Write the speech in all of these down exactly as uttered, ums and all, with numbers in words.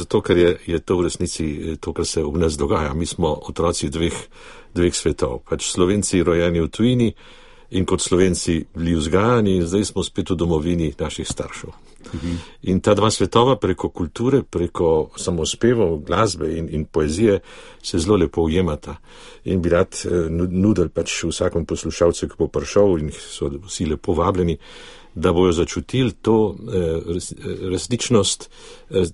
zato, ker je, je to v resnici to, kar se v nas dogaja. Mi smo otroci dveh, dveh svetov. Pač Slovenci rojeni v tujini in kot Slovenci bili vzgajani in zdaj smo spet v domovini naših staršev. Mhm. In ta dva svetova preko kulture, preko samospevov, glasbe in, in poezije se zelo lepo ujemata. In bi rad eh, nudil pač vsakom poslušalcu, ki bo prišel in so vsi lepo vabljeni, da bojo začutili to res, resničnost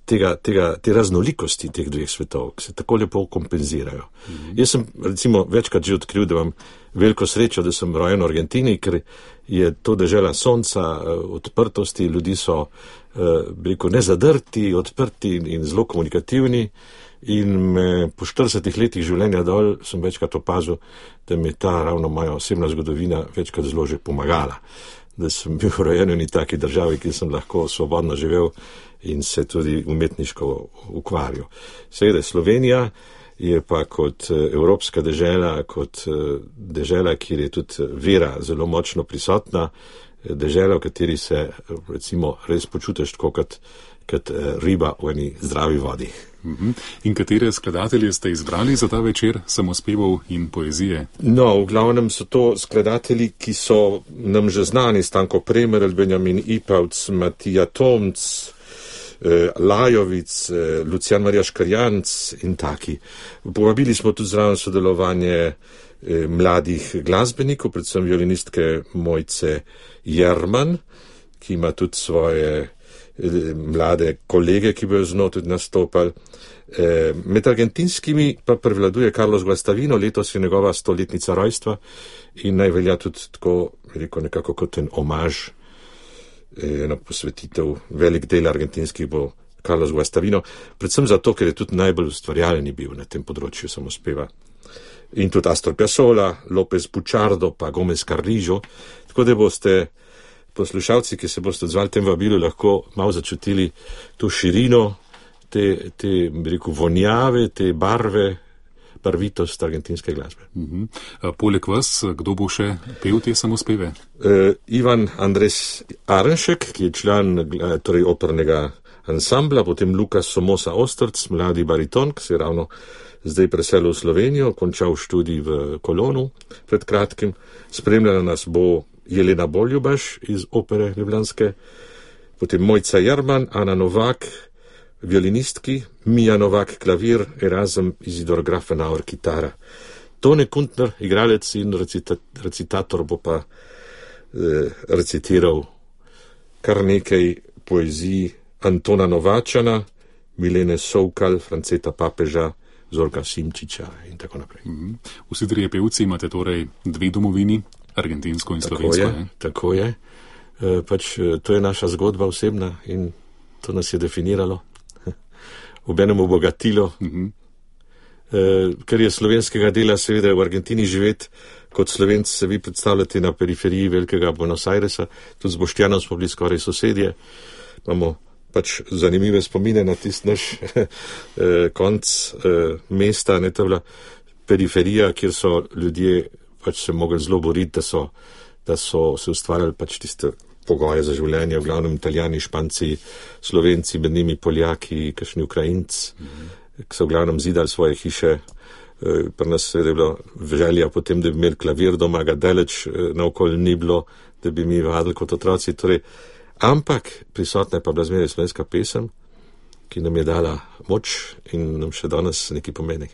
tega, tega, te raznolikosti teh dveh svetov, ki se tako lepo kompenzirajo. Mm-hmm. Jaz sem recimo večkrat že odkril, da imam veliko srečo, da sem rojen v Argentini, ker je to dežela sonca, odprtosti, ljudi so, bi rekel, nezadrti, odprti in zelo komunikativni. In me po štiridesetih letih življenja dol sem večkrat opazil, da mi ta ravno moja osebna zgodovina večkrat zelo že pomagala. Da sem bil rojen v taki državi, ki sem lahko svobodno živel in se tudi umetniško ukvarjal. Seveda Slovenija je pa kot evropska dežela, kot dežela, kjer je tudi vera zelo močno prisotna, dežela, v kateri se recimo res počutiš tako kot, kot riba v eni zdravi vodi. In katere skladatelje ste izbrali za ta večer samospevov in poezije? No, v glavnem so to skladatelji, ki so nam že znani, Stanko Premerl, Benjamin Ipavc, Matija Tomc, eh, Lajovic, eh, Lucijan Marija Škarjanc in taki. Povabili smo tudi zraven sodelovanje eh, mladih glasbenikov, predvsem violinistke Mojce Jerman, ki ima tudi svoje mlade kolege, ki bojo z njo tudi nastopali. E, med argentinskimi pa prevladuje Carlos Guastavino, letos je njegova stoletnica rojstva in naj velja tudi tako, rekel, nekako kot en omaž, ena posvetitev, velik del argentinskih bo Carlos Guastavino, predvsem zato, ker je tudi najbolj ustvarjalni bil na tem področju samospeva. In tudi Astor Piazzolla, López Buchardo pa Gómez Carrillo, tako da boste poslušalci, ki se boste odzvali tem vabilu, lahko malo začutili to širino, te, te rekel, vonjave, te barve, barvitost argentinske glasbe. Uh-huh. Poleg vas, kdo bo še pel te samospeve? Uh, Ivan Andres Arenšek, ki je član torej opernega ansambla, potem Lukas Somoza Ostrc, mladi bariton, ki se je ravno zdaj preselil v Slovenijo, končal študij v Kolonu pred kratkim. Spremljala nas bo Jelena Boljubaš iz opere ljubljanske, potem Mojca Jerman, Ana Novak, violinistki, Mija Novak, klavir, Erazem Izidor Grafenauer, kitara. Tone Kuntner, igralec in recita, recitator, bo pa eh, recitiral kar nekaj poezij Antona Novačana, Milene Sovkal, Franceta Papeža, Zorka Simčiča in tako naprej. Mm-hmm. Vsi trije pevci imate torej dve domovini, argentinsko in slovensko. Tako je, tako je. E, pač to je naša zgodba osebna in to nas je definiralo, obenem obogatilo, mm-hmm. e, ker je slovenskega dela seveda v Argentini živeti, kot Slovenci se vi predstavljate na periferiji velikega Buenos Airesa, tudi z Boštjanom smo bili skoraj sosedje, imamo pač zanimive spomine na tisti naš eh, konc eh, mesta, ne, to je bila periferija, kjer so ljudje pač se mogli zelo boriti, da so, da so se ustvarjali pač tiste pogoje za življenje, v glavnem Italijani, Španci, Slovenci, med njimi Poljaki, kakšni Ukrajinci, mm-hmm. ki so v glavnem zidali svoje hiše. E, pri nas je bilo želja potem, da bi imeli klavir doma, ga daleč e, naokoli ni bilo, da bi mi vadili kot otroci. Torej, ampak prisotna je pa bila zmeraj slovenska pesem, ki nam je dala moč in nam še danes nekaj pomeni.